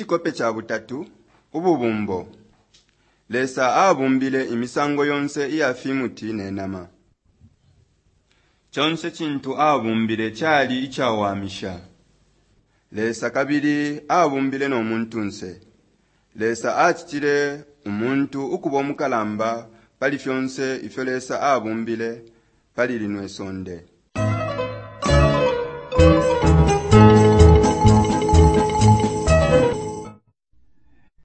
Icikope ca butatu, Ububumbo. Lesa abumbile imisango yonse iya fimuti ne nama. Conse cintu abumbile cali icawamisha. Lesa kabili abumbile no muntunse. Lesa acitile umuntu ukubo mukalamba pali fyonse ifyo Lesa abumbile pali lino isonde.